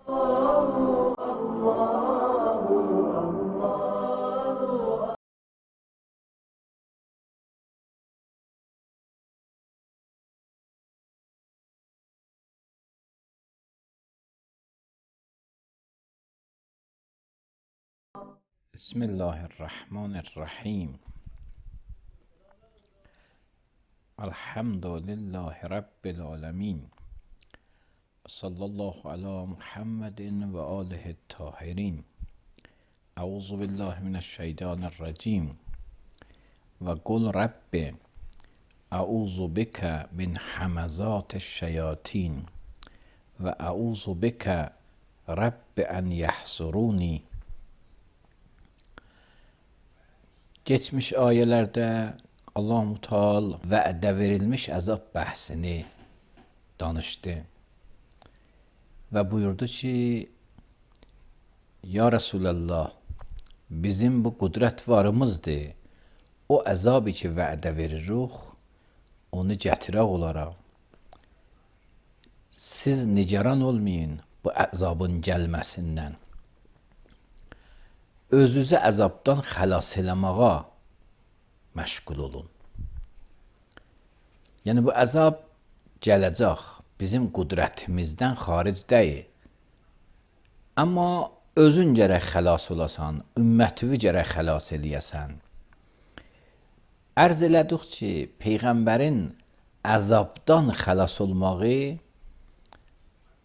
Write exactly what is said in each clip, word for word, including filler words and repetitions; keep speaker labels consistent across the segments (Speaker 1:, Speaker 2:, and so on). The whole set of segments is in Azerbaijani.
Speaker 1: بسم الله الرحمن الرحیم. الحمد لله رب العالمین. صلی الله علی محمد و آله الطاهرین. اعوذ بالله من الشیطان الرجیم. و قل رب اعوذ بک من همزات الشیاطین و اعوذ بک رب ان یحضرونی. Geçmiş ayələrdə Allah-u Teala vədə verilmiş əzab bəhsini danışdı və buyurdu ki, Ya Resulallah, bizim bu qudrət varımızdır, o əzabı ki vədə veririk, onu gətirək olaraq. Siz nigaran olmayın bu əzabın gəlməsindən. Özünüzü əzabdan xəlas eləməyə məşğul olun. Yəni bu əzab gələcək, bizim qudrətimizdən xaric deyil. Amma özün gərək xəlas olasan, ümmətini gərək xəlas eləyəsən. Ərz elədik ki, Peyğəmbərin əzabdan xəlas olmağı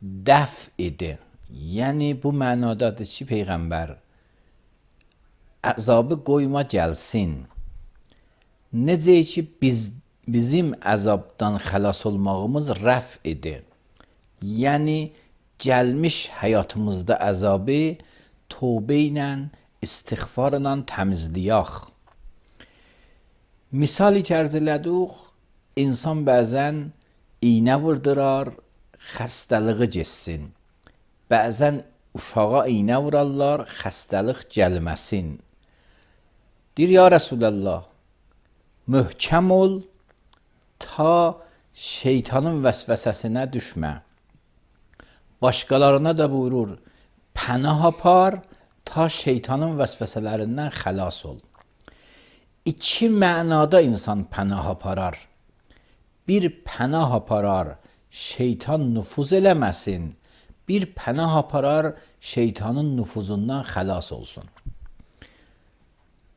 Speaker 1: dəf idi. Yəni bu mənadadır ki, Peyğəmbər əzabı qoyma gəlsin. Necə ki biz bizim əzabdan xəlas olmağımız rəf idi. Yəni gəlmiş həyatımızda əzabı tövbə ilə, istiğfar ilə təmizləyək. Misali ki ərz elədik, insan bəzən iynə vurdurar, xəstəliyi geçsin. Bəzən uşağa iynə vurarlar, xəstəlik gəlməsin. Deyir, ya Resulallah, möhkəm ol, ta şeytanın vəsvəsəsinə düşmə. Başqalarına da buyurur, pənah apar, ta şeytanın vəsvəsələrindən xəlas ol. İki mənada insan pənah aparar. Bir pənah aparar, şeytan nüfuz eləməsin. Bir pənah aparar, şeytanın nüfuzundan xəlas olsun.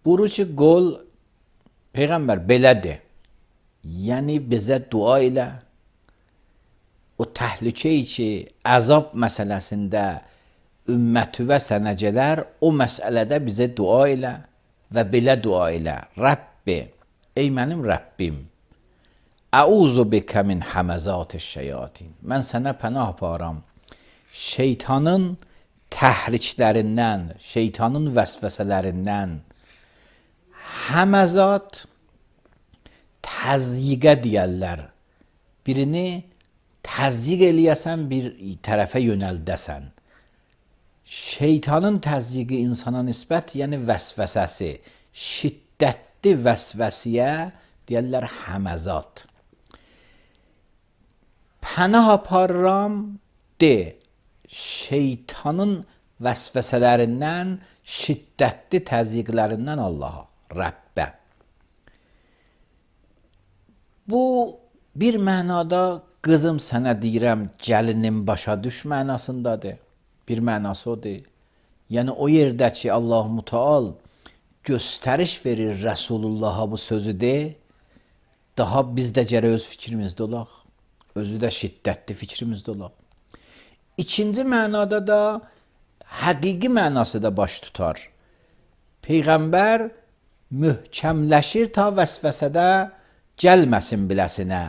Speaker 1: Buyurur ki, qol, Peyğəmbər belədir. Yəni bizə dua elə. O təhlükəyi ki, əzab məsələsində ümmətüvə sənə gələr, o məsələdə bizə dua elə və belə dua elə. Rəbbi, ey mənim Rəbbim, əuzu bikə min həməzat şeyatin. Mən sənə pənah aparam. Şeytanın təhriklərindən, şeytanın vəsvəsələrindən. Həməzat təzyiqə deyərlər. Birini təzyiq eləyəsən, bir tərəfə yönəldəsən. Şeytanın təzyiqi insana nisbət, yəni vəsvəsəsi, şiddətli vəsvəsiyə deyərlər həməzat. Pənah aparıram de, şeytanın vəsvəsələrindən, şiddətli təzyiqlərindən Allaha, Rəbbə. Bu bir mənada qızım sənə deyirəm, gəlinim başa düş mənasındadır. Bir mənası odur. Yəni o yerdə ki, Allah-u Teala göstəriş verir Rəsulullah'a bu sözü de, daha biz də gərək öz fikrimizdə olaq. Özü də şiddətli fikrimizdə olaq. İkinci mənada da həqiqi mənası da baş tutar. Peyğəmbər möhkəmləşir ta vəsvəsədə gəlməsin biləsinə.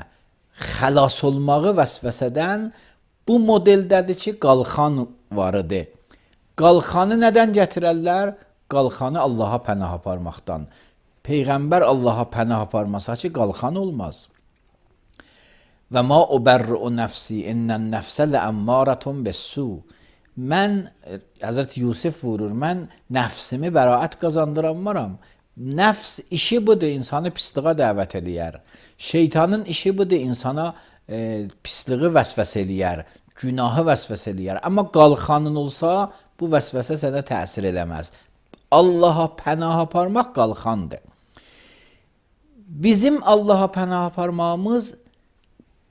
Speaker 1: Xəlas olmağı vəsvəsədən bu modeldədir ki, qalxan varıdır. Qalxanı nədən gətirərlər? Qalxanı Allaha pənah aparmaqdan. Peyğəmbər Allaha pənah aparmasa ki, qalxan olmaz. Və ma ubərru nəfsi innən nəfsə ləəmmarətun bəs-su. Mən, Həzrət Yusuf buyurur, mən nəfsimi bəraət qazandıranmaram. Nəfs işi budur, insanı pisliğə dəvət eləyər. Şeytanın işi budur, insana e, pisliği vəsvəs eləyər. günahı vəsvəsə eləyər. Amma qalxanın olsa, bu vəsvəsə sənə təsir eləməz. Allaha pənah aparmaq qalxandır. Bizim Allaha pənah aparmağımız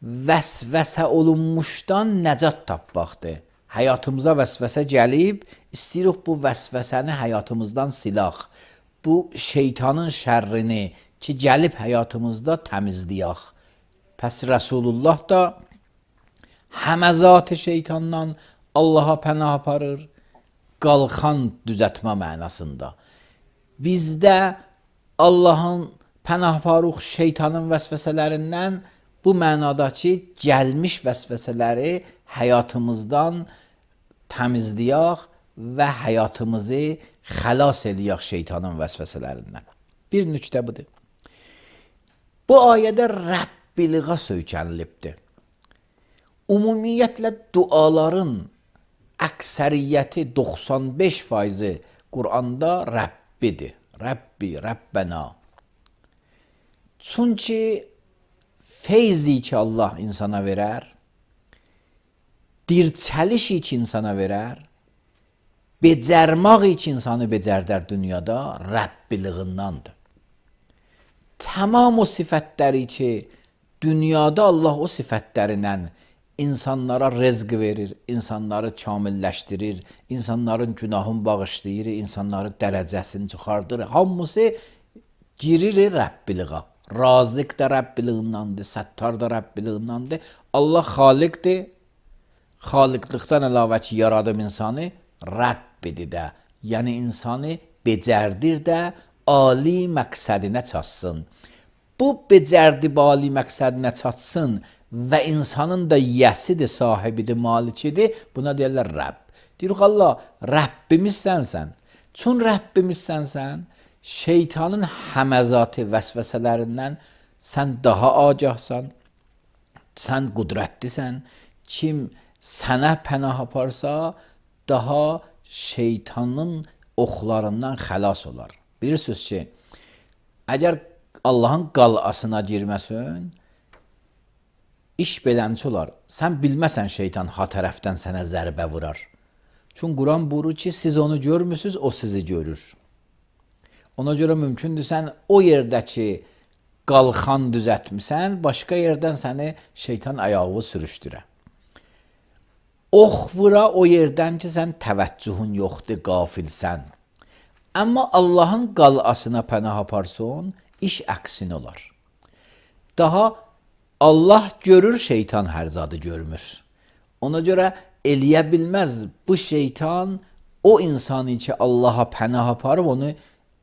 Speaker 1: vəsvəsə olunmuşdan nəcat tapmaqdır. Həyatımıza vəsvəsə gəlib, istəyirik bu vəsvəsəni həyatımızdan silaq. Bu şeytanın şərrini ki, gəlib həyatımızda təmizləyək. Pəs Rəsulullah da həməzat şeytandan Allaha pənah aparır, qalxan düzətmə mənasında. Bizdə Allahın pənah aparıq şeytanın vəsvəsələrindən bu mənada ki, gəlmiş vəsvəsələri həyatımızdan təmizləyək və həyatımızı xəlas eləyək şeytanın vəsvəsələrindən. Bir nüktə budur. Bu ayədə Rəbbiliğə söykənilibdir. Ümumiyyətlə duaların əksəriyyəti doxsan beş faizi Quranda Rəbbidir. Rəbbi, Rəbbənə. Çünki feyzi ki Allah insana verər, dirçəlişi ki insana verər, becərmaq ki insanı becərdər dünyada Rəbbiliğindandır. Tamam o sifətləri ki dünyada Allah o sifətlərindən insanlara rızq verir, insanları kamilləşdirir, insanların günahını bağışlayır, insanların dərəcəsini çıxardır. Hamısı girir Rəbbiliğə. Razıq da Rəbbiliğindandır, Səttar da Rəbbiliğindandır. Allah xaliqdir. Xaliqlikdən əlavə ki, yaradım insanı Rəbbidir də. Yəni insanı becərdir də, ali məqsədinə çatsın. Bu becərdi ali məqsədinə çatsın və insanın da yəsidir, sahibidir, malikidir. Buna deyirlər Rəbb. Deyirik Allah, Rəbbimizsən sən. Çün Rəbbimizsən sən, şeytanın həməzatı vəsvəsələrindən sən daha agahsan, sən qudrətlisən. Kim sənə pənah aparsa, daha şeytanın oxlarından xəlas olar. Bilirsiniz ki, əgər Allahın qalasına girməsin, iş belənçi olar. Sən bilməsən şeytan ha tərəfdən sənə zərbə vurar. Çünki Quran buyurur ki, siz onu görmürsünüz, o sizi görür. Ona görə mümkündür sən o yerdəki qalxan düzətmisən, başqa yerdən səni şeytan ayağı sürüşdürə. Ox vura o yerdən ki, sən təvəccühün yoxdur, qafilsən. Amma Allahın qalasına pənah aparsın, iş əksin olar. Daha Allah görür, şeytan hər zadı görmür. Ona görə eləyə bilməz bu şeytan o insanı ki Allaha pənah aparıb onu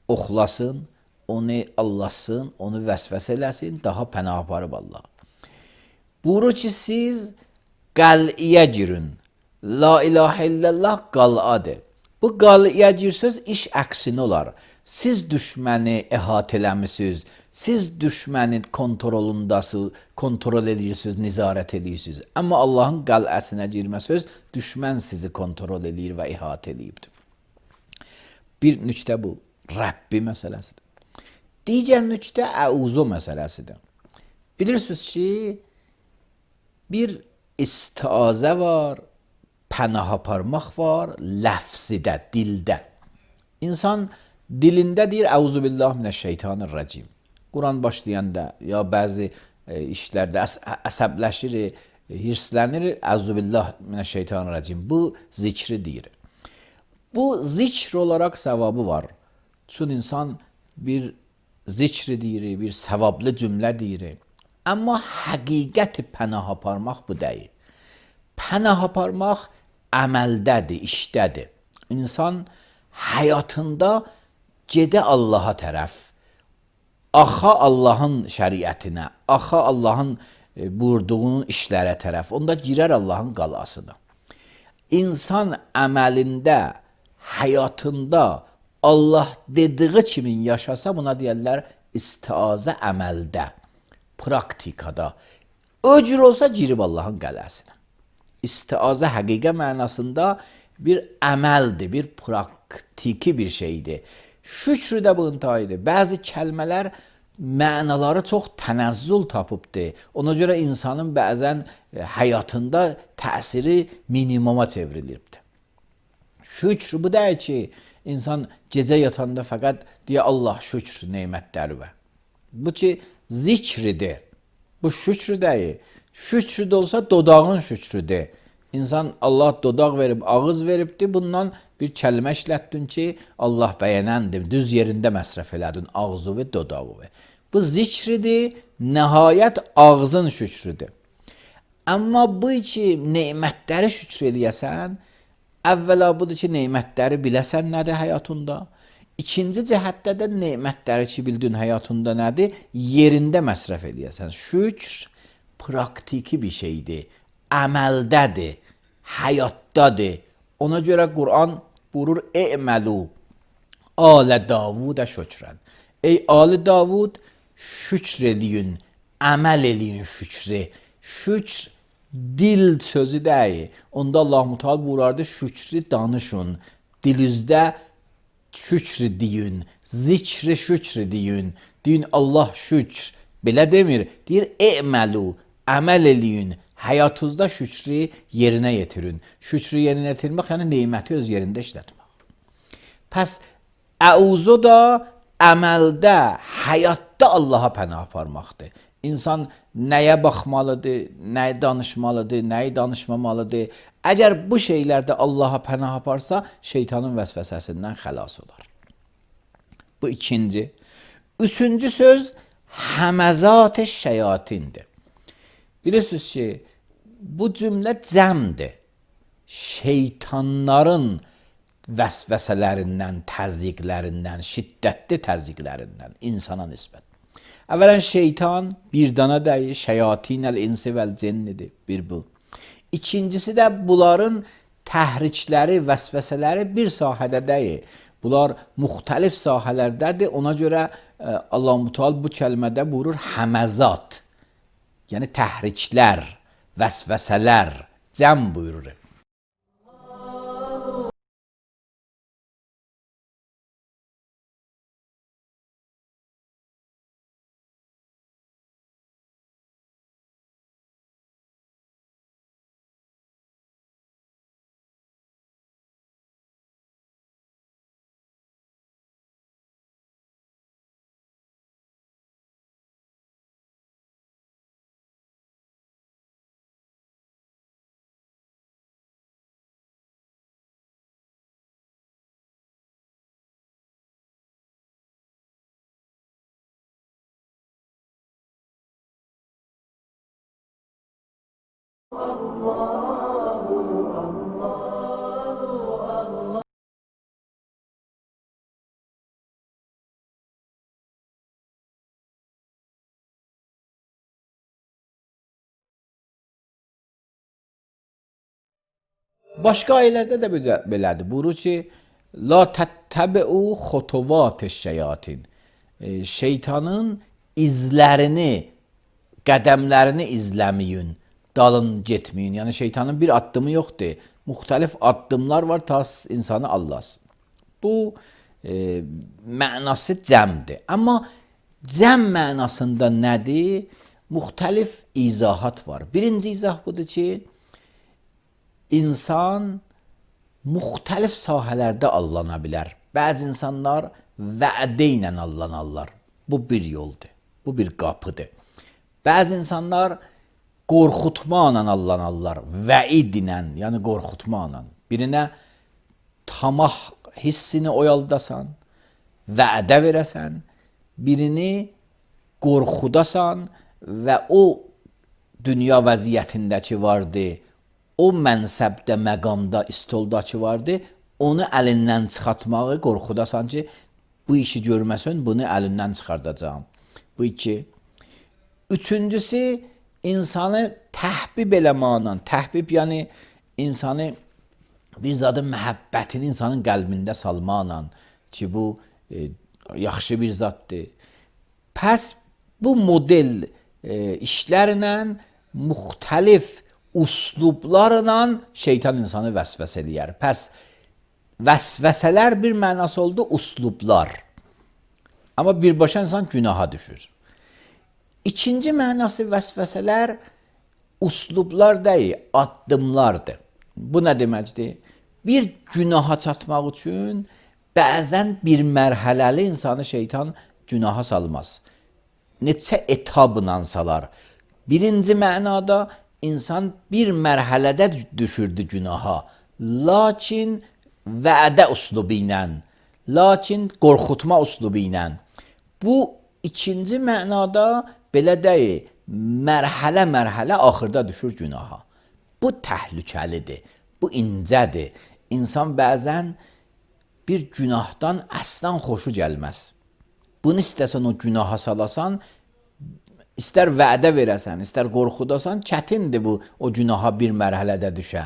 Speaker 1: oxlasın, onu allasın, onu vəsvəsə eləsin, daha pənah aparıb Allah. Buyurur ki, siz qəl'iyə girin. La ilahə illallah qal'adır. Bu qal'iyə girsiniz, iş əksinə olar. Siz düşməni əhatə eləmisiniz, siz düşmənin kontrolundasınız, kontrol edirsiniz, nizarət edirsiniz. Amma Allahın qal'əsinə girməsiniz, düşmən sizi kontrol edir və əhatə eləyibdir. Bir nüktə bu, Rəbbi məsələsidir. Digər nüktə əuzu məsələsidir. Bilirsiniz ki, bir istiazə var, pənah aparmaq var, ləfzidə, dildə. İnsan dilində deyir, əuzu billah minəşşeytanirracim. Quran başlayanda ya bəzi e, işlərdə əs əsəbləşir, hirslənir, əuzu billah minəşşeytanirracim. Bu zikri deyir. Bu zikr olaraq səvabı var. Çünki insan bir zikri deyir, bir səvablı cümlə deyir. Amma həqiqəti pənah aparmaq bu deyil. Pənah aparmaq əməldədir, işdədir. İnsan həyatında gedə Allaha tərəf, axa Allahın şəriətinə, axa Allahın buyurduğunun işlərə tərəf, onda girər Allahın qalasına. İnsan əməlində, həyatında Allah dediği kimin yaşasa buna deyərlər istiazə əməldə, praktikada. Öcür olsa girib Allahın qalasına. İstiazə həqiqə mənasında bir əməldir, bir praktiki bir şeydir. Şükrü də bu intihaydır. Bəzi kəlmələr mənaları çox tənəzzül tapıbdır. Ona görə insanın bəzən həyatında təsiri minimuma çevrilibdir. Şükr bu deyil ki, insan gecə yatanda fəqət deyə Allah şükr nemətləri və. Bu ki, zikridir. Bu şükr deyil. Şükr də olsa dodağın şükrüdür. İnsan Allah dodaq verib, ağız veribdir. Bundan bir kəlmə işlətdin ki, Allah bəyənəndir. Düz yerində məsrəf elədin ağzı və dodağı və. Bu zikridir, nəhayət ağzın şükrüdür. Amma bu ki, neymətləri şükr eləyəsən, əvvəla budur ki, neymətləri biləsən nədir həyatında. İkinci cəhətdə də neymətləri ki, bildin həyatında nədir, yerində məsrəf eləyəsən. Şükr praktiki bir şeydir, əməldədir, həyatdadır. Ona görə Quran buyurur, "E'məlu alə Davudə şükrən." Ey Ali Davud, şükr eləyin, əməl eləyin şükrü. Şükr dil sözü deyil. Onda Allah Teala buyurardı, şükrü danışın, dilinizdə şükr deyin, zikri şükr deyin. Deyin Allah şükr. Belə demir. Deyir, "E'məlu", əməl eləyin, həyatınızda şükrü yerinə yetirin. Şükrü yerinə yetirmək, yəni neyməti öz yerində işlətmək. Pəs əuzu da əməldə, həyatda Allaha pənah aparmaqdır. İnsan nəyə baxmalıdır, nəyə danışmalıdır, nəyə danışmamalıdır. Əgər bu şeylərdə Allaha pənah aparsa, şeytanın vəsvəsəsindən xəlas olar. Bu ikinci. Üçüncü söz, həməzat-ı şeyatindir. Bilirsiniz ki, bu cümlə cəmdir. Şeytanların vəsvəsələrindən, təzyiqlərindən, şiddətli təzyiqlərindən insana nisbət. Əvvələn şeytan bir dana deyil, şeyatinəl insi vəl cinnidir, bir bu. İkincisi də bunların təhrikləri, vəsvəsələri bir sahədə deyil. Bunlar müxtəlif sahələrdədir. Ona görə Allah-u Teala bu kəlmədə buyurur həməzat. Yəni təhriklər, vəsvəsələr, cəm buyurur. Başqa ayələrdə də belədir. Buyurur ki, la təttəbi'u xutuvat-ı şeyatin. E, şeytanın izlərini, qədəmlərini izləməyin, dalın getməyin. Yəni şeytanın bir addımı yoxdur. Müxtəlif addımlar var ta insanı allasın. Bu e, mənası cəmdir. Amma cəm mənasında nədir? Müxtəlif izahat var. Birinci izah budur ki, İnsan müxtəlif sahələrdə allana bilər. Bəzi insanlar vədə ilə allanarlar. Bu bir yoldur. Bu bir qapıdır. Bəzi insanlar qorxutmaqla allanarlar. Vəid ilə, yəni qorxutmaqla. Birinə tamah hissini oyaldasan, vədə verəsən, birini qorxudasan və o dünya vəziyyətindəki vardı, o mənsəbdə, məqamda, istoldakı vardı, onu əlindən çıxartmağı qorxudasan ki, bu işi görməsən, bunu əlindən çıxardacağım. Bu iki. Üçüncüsü, insanı təhbib eləmaqla, təhbib yəni insanı bir zadın məhəbbətini insanın qəlbində salmaqla ki, bu e, yaxşı bir zaddır. Pəs bu model e, işlərlə müxtəlif uslublarla şeytan insanı vəsvəsə eləyər. Pəs vəsvəsələr bir mənası oldu uslublar. Amma birbaşa insan günaha düşür. İkinci mənası vəsvəsələr uslublar deyil, addımlardır. Bu nə deməkdir? Bir günaha çatmaq üçün bəzən bir mərhələli insanı şeytan günaha salmaz. Neçə etabla salar. Birinci mənada insan bir mərhələdə düşürdü günaha. Lakin vədə uslubu ilə, lakin qorxutma uslubu ilə. Bu ikinci mənada belə deyil, mərhələ-mərhələ axırda düşür günaha. Bu təhlükəlidir, bu incədir. İnsan bəzən bir günahdan əslan xoşu gəlməz. Bunu istəsən o günaha salasan, istər vədə verəsən, istər qorxudasan, çətindir bu o günaha bir mərhələdə düşə.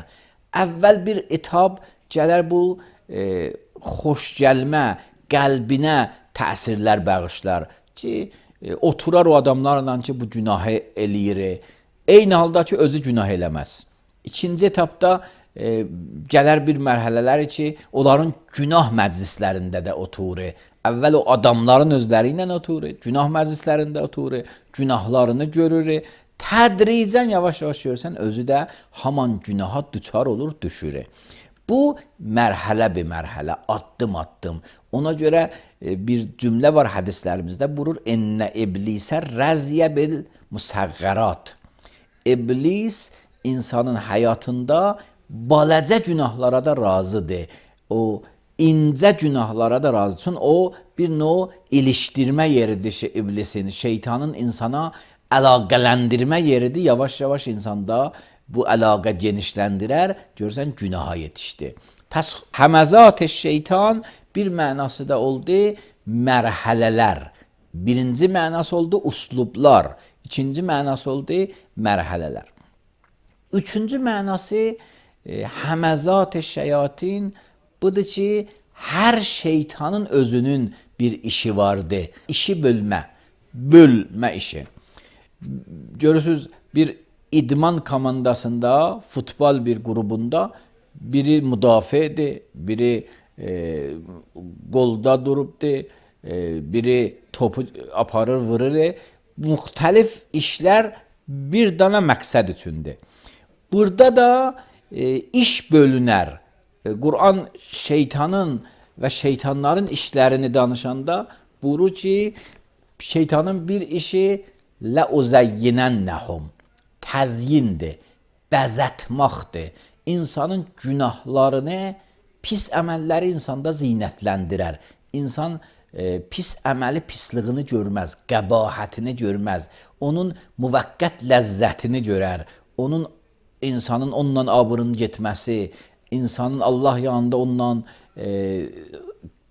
Speaker 1: Əvvəl bir etab gələr bu e, xoş gəlmə, qəlbinə təsirlər bağışlar ki, e, oturar o adamlarla ki, bu günahı eləyir. Eyni halda ki, özü günah eləməz. İkinci etapda e, gələr bir mərhələlər ki, onların günah məclislərində də oturur. Əvvəl o adamların özləri ilə oturur, günah məclislərində oturur, günahlarını görür. Tədricən yavaş-yavaş görürsən, özü də haman günaha düçar olur, düşür. Bu mərhələ bir mərhələ, addım-addım. Ona görə e, bir cümlə var hədislərimizdə, buyurur, ennə iblisə rəziyə bil musəğğərat. İblis insanın həyatında balaca günahlara da razıdır. O incə günahlara da razı. Çünki o bir növ ilişdirmə yeridir iblisin, şeytanın insana əlaqələndirmə yeridir. Yavaş-yavaş insanda bu əlaqə genişləndirər, görürsən günaha yetişdi. Pəs həməzat-ı şeytan bir mənası da oldu mərhələlər. Birinci mənası oldu uslublar. İkinci mənası oldu mərhələlər. Üçüncü mənası e, həməzat-ı şeyatin budur ki, hər şeytanın özünün bir işi vardı. İşi bölmə, bölmə işi. Görürsünüz, bir idman komandasında, futbol bir grubunda biri müdafiədir, biri e, golda durubdur, e, biri topu aparır, vurur. Müxtəlif işlər bir dana məqsəd üçündür. Burada da e, iş bölünər. E, Quran şeytanın və şeytanların işlərini danışanda buyurur ki, şeytanın bir işi لَاُزَيِّنَنَّهُمْ təzyindir, bəzətmaqdır. İnsanın günahlarını, pis əməlləri insanda zinətləndirər. İnsan e, pis əməli pisliyini görməz, qəbahətini görməz. Onun müvəqqət ləzzətini görər. Onun insanın onunla abırının getməsi, insanın Allah yanında onunla e,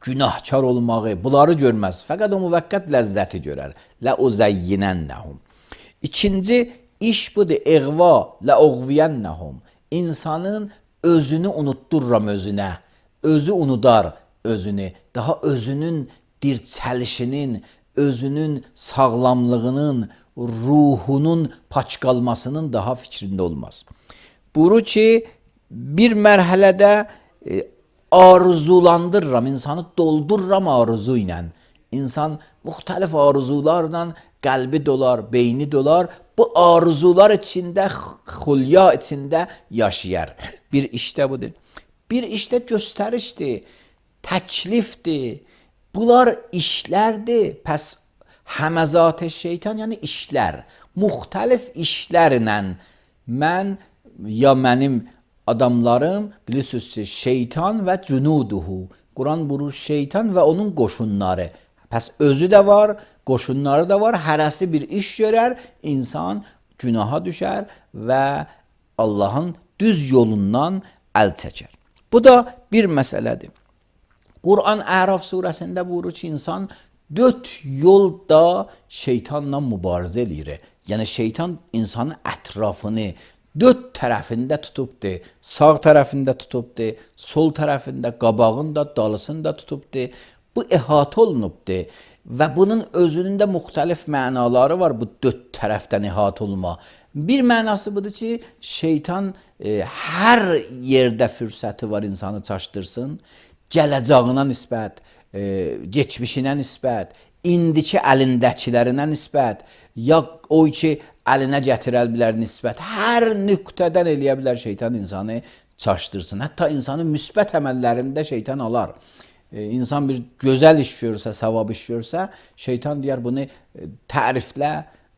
Speaker 1: günahkar olmağı, bunları görməz. Fəqət o müvəqqət ləzzəti görər. لَاُزَيِّنَنَّهُمْ İkinci iş budur, eğva, لَاُغْوِيَنَّهُمْ İnsanın özünü unutdururam özünə, özü unudar özünü, daha özünün dirçəlişinin, özünün sağlamlığının, ruhunun paç qalmasının daha fikrində olmaz. Buyurur ki, bir mərhələdə e, arzulandırıram, insanı doldururam arzu ilə. İnsan müxtəlif arzularla qəlbi dolar, beyni dolar. Bu arzular içində, xülya içində yaşayar. Bir işdə budur. Bir işdə göstərişdir, təklifdir. Bunlar işlərdir. Pəs həməzat-ı şeytan, yəni işlər. Müxtəlif işlərlə mən, ya mənim adamlarım, bilirsiniz ki, şeytan və cünuduhu. Quran buyurur şeytan və onun qoşunları. Pəs özü də var, qoşunları da var. Hərəsi bir iş görər, insan günaha düşər və Allahın düz yolundan əl çəkər. Bu da bir məsələdir. Quran Əraf surəsində buyurur ki, insan dörd yolda şeytanla mübarizə eləyir. Yəni şeytan insanın ətrafını dörd tərəfində tutubdur. Sağ tərəfində tutubdur, sol tərəfində, qabağında, dalısında tutubdur. Bu əhatə olunubdur və bunun özünün də müxtəlif mənaları var, bu dörd tərəfdən əhatə olma. Bir mənası budur ki, şeytan e, hər yerdə fürsəti var insanı çaşdırsın, gələcəyinə nisbət, e, geçmişinə nisbət, indiki əlindəkilərinə nisbət, ya o ki əlinə gətirə bilər nisbət, hər nöqtədən eləyə bilər şeytan insanı çaşdırsın. Hətta insanın müsbət əməllərində şeytan alar. E, insan bir gözəl iş görsə, savab iş görsə, şeytan deyər bunu təriflə,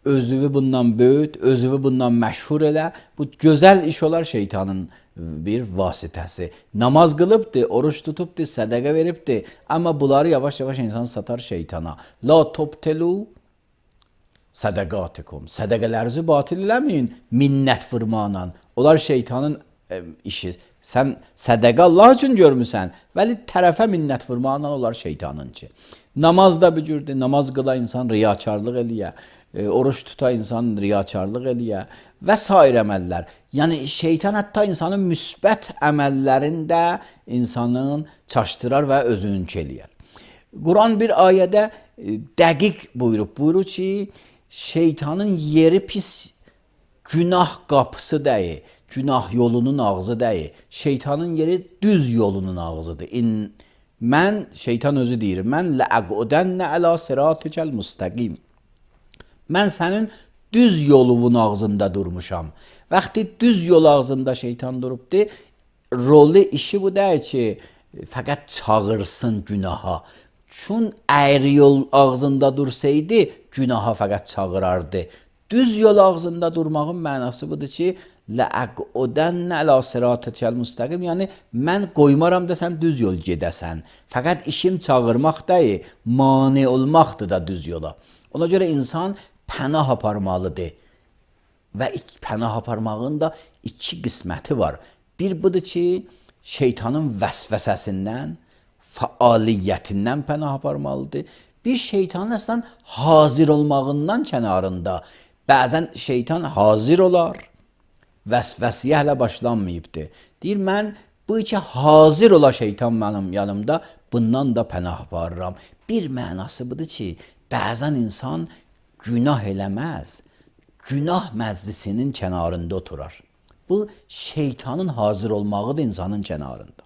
Speaker 1: özünü bundan böyüt, özünü bundan məşhur elə. Bu gözəl iş olar şeytanın bir vasitəsi. Namaz qılıbdır, oruç tutubdur, sədəqə veribdir. Amma bunları yavaş-yavaş insan satar şeytana. La tobtelu sədəqatikum. Sədəqələrinizi batil eləməyin minnət vurmanla. Onlar şeytanın e, işi. Sən sədəqə Allah üçün görmüsən, vəli tərəfə minnət vurmaqla olar şeytanınki. Namaz da bücürdür, namaz qıla insan riyakarlıq eləyə, e, oruç tuta insan riyakarlıq eləyə və s. əməllər. Yəni şeytan hətta insanın müsbət əməllərində insanın çaşdırar və özününki eləyər. Quran bir ayədə e, dəqiq buyurub, buyurur ki, şeytanın yeri pis günah qapısı deyil. Günah yolunun ağzı deyil. Şeytanın yeri düz yolunun ağzıdır. İn, mən, şeytan özü deyir, mən ləqudənnə əla sıratikəl müstəqim. Mən sənin düz yolunun ağzında durmuşam. Vaxtı düz yol ağzında şeytan durubdur, rolu işi bu deyil ki, fəqət çağırsın günaha. Çün əyri yol ağzında dursaydı, günaha fəqət çağırardı. Düz yol ağzında durmağın mənası budur ki, لَأَقْعُدَنَّ عَلَى صِرَاطِكَ الْمُسْتَقِيمِ. Yəni, mən qoymaram da sən düz yol gedəsən. Fəqət işim çağırmaq deyil, mane olmaqdır da düz yola. Ona görə insan pənah aparmalıdır. Və pənah aparmağın da iki qisməti var. Bir budur ki, şeytanın vəsvəsəsindən, fəaliyyətindən pənah aparmalıdır. Bir şeytanın əslən hazır olmağından kənarında. Bəzən şeytan hazır olar, vəsvəsiyə hələ başlanmayıbdır. Deyir, mən bu iki hazır ola şeytan mənim yanımda, bundan da pənah aparıram. Bir mənası budur ki, bəzən insan günah eləməz, günah məclisinin kənarında oturar. Bu, şeytanın hazır olmağıdır insanın kənarında.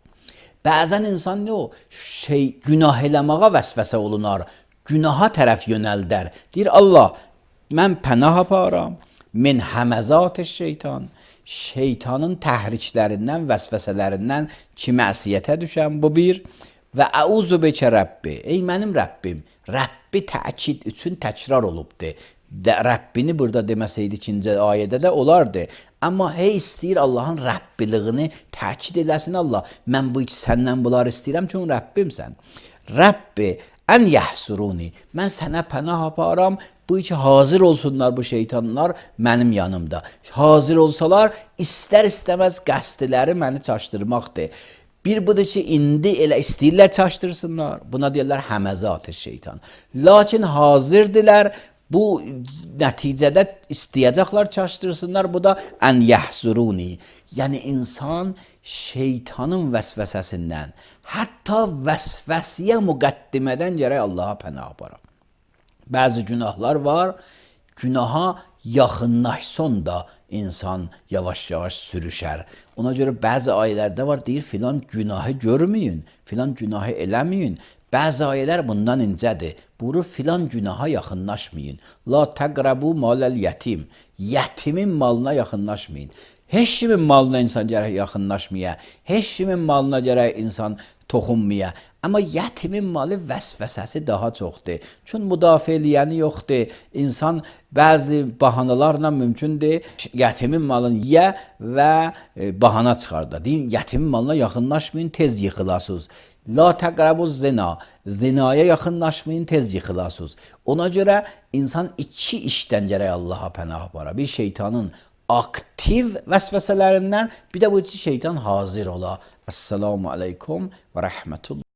Speaker 1: Bəzən insan nə o? Şey, günah eləməyə vəsvəsə olunar, günaha tərəf yönəldər. Deyir, Allah, mən pənah aparam, min həməzat şeytan. Şeytanın təhriklərindən, vəsvəsələrindən ki, məsiyyətə düşəm, bu bir. Və əuzu bəkə Rəbbi, ey mənim Rəbbim, Rəbbi təkid üçün təkrar olubdur. De, Rəbbini burada deməsəydi ikinci ayədə də olardı. Amma hey istəyir Allahın Rəbbiliyini təkid eləsin Allah. Mən bu səndən bunları istəyirəm çünki Rəbbimsən. Rəbbi ən yəhsuruni, mən sənə pənah aparam, bu iki hazır olsunlar bu şeytanlar mənim yanımda. Hazır olsalar, istər istəməz qəsdləri məni çaşdırmaqdır. Bir budur ki, indi elə istəyirlər çaşdırsınlar, buna deyirlər həməzat-ı şeytan. Lakin hazırdılar, bu nəticədə istəyəcəklər çaşdırsınlar, bu da ən yəhsuruni. Yəni insan şeytanın vəsvəsəsindən, hətta vəsvəsiyə müqəddimədən gərək Allaha pənah aparam. Bəzi günahlar var, günaha yaxınlaşson da insan yavaş-yavaş sürüşər. Ona görə bəzi ayələrdə var, deyir filan günahı görməyin, filan günahı eləməyin. Bəzi ayələr bundan incədir. Buyurur filan günaha yaxınlaşmayın. La təqrabu maləl yetim. Yetimin malına yaxınlaşmayın. Heç kimin malına insan gərək yaxınlaşmaya, heç kimin malına gərək insan toxunmaya. Amma yetimin malı vəsvəsəsi daha çoxdur. Çünki müdafiə eləyəni yoxdur. İnsan bəzi bahanalarla mümkündür yetimin malını yiyə və e, bahana çıxarda. Deyin, yetimin malına yaxınlaşmayın, tez yıxılasınız. La təqrabuz zina. Zinaya yaxınlaşmayın, tez yıxılasınız. Ona görə insan iki işdən gərək Allaha pənah apara. Bir şeytanın aktiv vəsvəsələrindən, bir də bu iki şeytan hazır ola. Esselamu aleykum və rəhmətullah.